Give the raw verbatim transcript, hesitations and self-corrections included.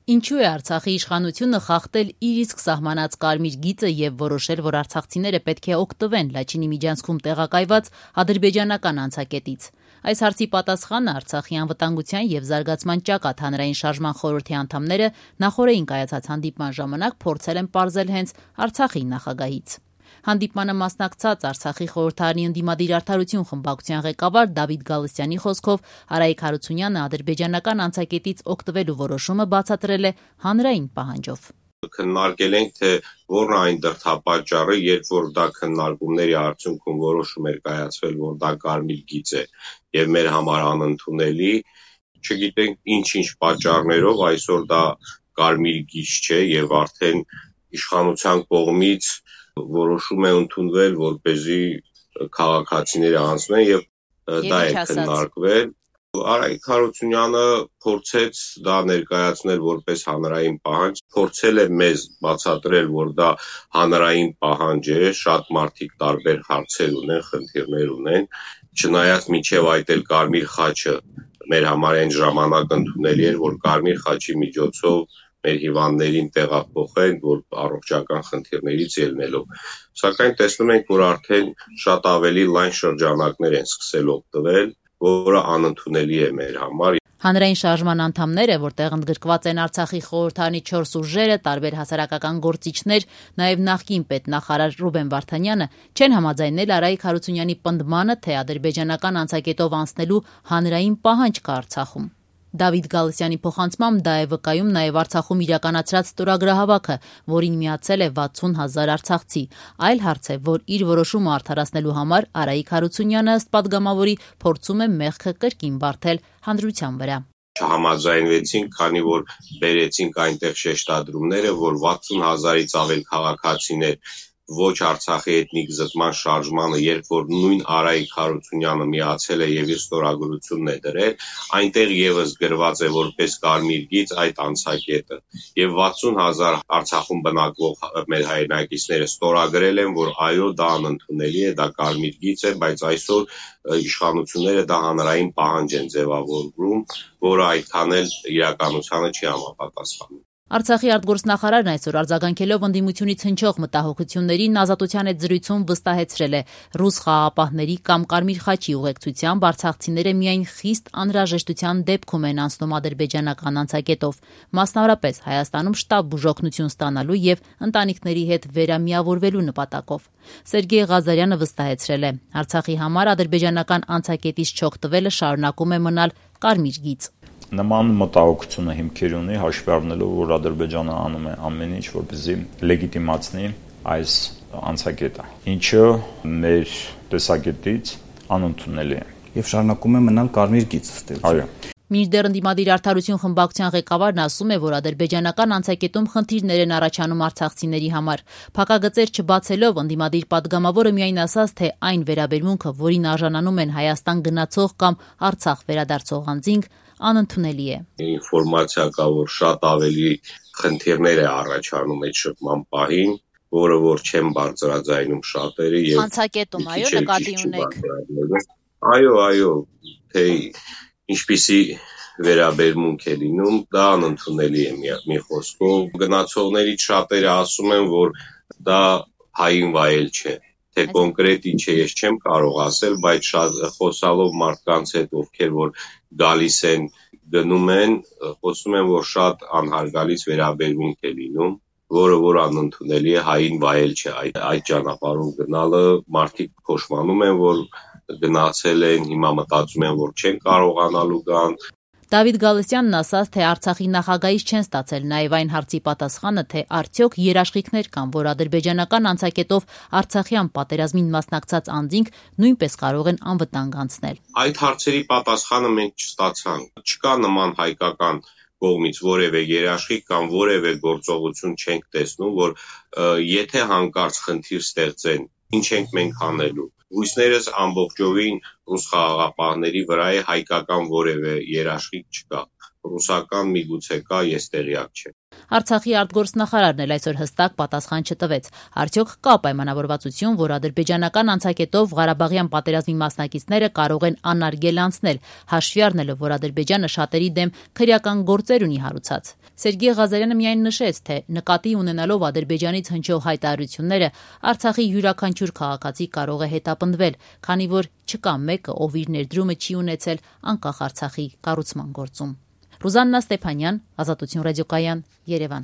Ինչու է Արցախի իշխանությունը խախտել իր իսկ սահմանած կարմիր գիծը եւ որոշել, որ արցախցիները պետք է օգտվեն Լաչինի միջանցքում տեղակայված ադրբեջանական անցակետից։ Այս հարցի պատասխանը Արցախի անվտանգության եւ զարգացման ճակատ հանրային շարժման խորհրդի անդամները նախորդին կայացած հանդիպման ժամանակ փորձել են պարզել հենց Արցախի նախագահից։ Հանդիպմանը մասնակցած Արցախի խորհրդարանի ընդդիմադիր արդարություն խմբակցության ղեկավար Դավիթ Գալստյանի խոսքով Արայիկ Հարությունյանը ադրբեջանական անցակետից օգտվելու որոշումը բացատրել է հանրային պահանջով։ Քննարկել ենք, թե որն այն դրդապատճառը, երբ որ դա քննարկումների արդյունքում որոշում էր կայացվել, որ դա կարմիր գիծ է եւ մեր համար անընդունելի, չգիտենք ինչ-ինչ պատճառներով այսօր դա կարմիր գիծ չէ եւ արդեն իշխանության կողմից որոշում է ընդունվել, որպեսզի քաղաքացիները անցնեն եւ դա է քննարկվել։ Արայիկ Հարությունյանը փորձեց դա ներկայացնել որպես հանրային պահանջ, փորձել է մեզ բացատրել, որ դա հանրային պահանջ է, շատ մարդիկ տարբեր հարցեր ունեն, խնդիրներ ունեն, չնայած մինչև այդ էլ Կարմիր խաչը մեր համար այն ժամանակ ընդունելի էր, որ Կարմիր խաչի միջոցով մեր հիվանդներին տեղափոխեն, որ առողջական խնդիրներից ելնելով։ Սակայն տեսնում ենք, որ արդեն շատ ավելի լայն շրջանակներ են սկսել օգտվել, որը անընդունելի է մեր համար։ Հանրային շարժման անդամները, որտեղ ընդգրկված են Արցախի խորհրդարանի չորս ուժերը, տարբեր հասարակական գործիչներ, նաև նախկին պետնախարար Ռուբեն Վարդանյանը, չեն համաձայնել Արայիկ Հարությունյանի պնդմանը, թե ադրբեջանական անցակետով անցնելու հանրային պահանջ կա Արցախում։ Դավիթ Գալստյանի փոխանցմամբ դա է վկայում նաև Արցախում իրականացրած ստորագրահավաքը, որին միացել է վաթսուն հազար արցախցի։ Այլ հարց է, որ իր որոշումը արդարացնելու համար Արայիկ Հարությունյանը ըստ падգամավորի փորձում է մեղքը կրկին բարթել հանրության վրա։ Չհամաձայնվեցինք, քանի որ բերեցինք այնտեղ շեշտադրումները, որ վաթսուն հազարից ավել քաղաքացիներ ոչ Արցախի էթնիկ զտման շարժմանը, երբ որ նույն Արայիկ Հարությունյանը միացել է եւ իր ստորագրությունն է դրել, այնտեղ եւս գրված է որպես կարմիր գիծ այդ անցակետը եւ վաթսուն հազար Արցախում բնակվող մեր հայրենակիցները ստորագրել են, որ այո, դա անընդունելի է, դա կարմիր գիծ է, բայց այսօր իշխանությունները դա հանրային պահանջ են ձևավորում, որը այդքան էլ իրականությանը չի համապատասխանում։ Արցախի արտգործնախարարն այսօր արձագանքելով ընդդիմությունից հնչող մտահոգություններին ազատության հետ զրույցում վստահեցրել է ռուս խաղաղապահների կամ Կարմիր խաչի ուղեկցությամբ արցախցիները միայն խիստ անհրաժեշտության դեպքում են անցնում ադրբեջանական անցակետով, մասնավորապես Հայաստանում շտապ բուժօգնություն ստանալու եւ ընտանիքների հետ վերամիավորվելու նպատակով։ Սերգեյ Ղազարյանը վստահեցրել է, Արցախի համար ադրբեջանական անցակետից չօգտվելը շարունակում է մնալ կարմիր գիծ։ Նման մտահոգությունը հիմքեր ունի, հաշվի առնելով, որ Ադրբեջանը անում է ամեն ինչ, որպեսզի լեգիտիմացնի այս անցակետը, ինչը մեր տեսակետից անընդունելի է եւ շարունակում է մնալ կարմիր գիծ ըստ Այո։ Մինչդեռ ընդդիմադիր արդարություն խմբակցության ղեկավարն ասում է, որ ադրբեջանական անցակետում խնդիրներ են առաջանում արցախցիների համար։ Փակագծեր չբացելով ընդդիմադիր падգամավորը միայն ասաց, թե այն վերաբերմունքը, որին արժանանում են Հայաստան գնացող կամ Արցախ վերադարձող անձինք, անընդունելի է։ Ինֆորմացիա կա, որ շատ ավելի խնդիրներ է առաջանում այդ շփման պահին, որը որ չեն բարձրաձայնում շատերը եւ անցակետում, այո, նկատի ունեք։ Այո, այո, թե ինչպիսի վերաբերմունք է լինում, դա անընդունելի է մի, մի խոսքով։ Գնացողներից շատերը ասում են, որ դա հային վայել չէ, թե կոնկրետ ինչ է, ես չեմ կարող ասել, բայց շատ խոսալով մարդկանց հետ, ովքեր որ գալիս են, գնում են, խոսում են, որ շատ անհարգալից վերաբերմունք է լինում, որը որ անընդունելի է, հային վայել չէ, այդ, այդ ճանապարհով գնալը մարդիկ փոշմանում են, որ գնացել են, հիմա մտածում են, որ չեն կարողանալու գան։ Դավիթ Գալստյանն ասաց, թե Արցախի նախագահից չեն ստացել նաև այն հարցի պատասխանը, թե արդյոք երաշխիքներ կան, որ ադրբեջանական անցակետով Արցախյան պատերազմին մասնակցած անձինք նույնպես կարող են անվտանգ անցնել։ Այդ հարցերի պատասխանը մենք չստացանք։ Չկա նման հայկական կողմից որևէ երաշխիք կամ որևէ գործողություն չենք տեսնում, որ եթե հանկարծ խնդիր ստեղծեն, ինչ ենք մենք անելու։ Լույսներս ամբողջովին ռուս խաղաղապահների վրա է, հայկական որևէ երաշխիք չկա։ Ռուսական միգուցե կա, ես տեղյակ չեմ։ Արցախի արտգործնախարարն էլ այսօր հստակ պատասխան չտվեց։ Արդյոք կա պայմանավորվածություն, որ ադրբեջանական անցակետով Ղարաբաղյան պատերազմի մասնակիցները կարող են անարգել անցնել, հաշվի առնելով, որ Ադրբեջանը շատերի դեմ քրեական գործեր ունի հարուցած։ Սերգեյ Ղազարյանը միայն նշեց, թե նկատի ունենալով Ադրբեջանից հնչող հայտարարությունները, Արցախի յուրաքանչյուր քաղաքացի կարող է հետապնդվել, քանի որ չկա մեկը, ով իր ներդրումը չի ունեցել անկախ Արցախի կառուցման գործում։ Ռուզաննա Ստեփանյան, Ազատություն ռադիոկայան, Երևան։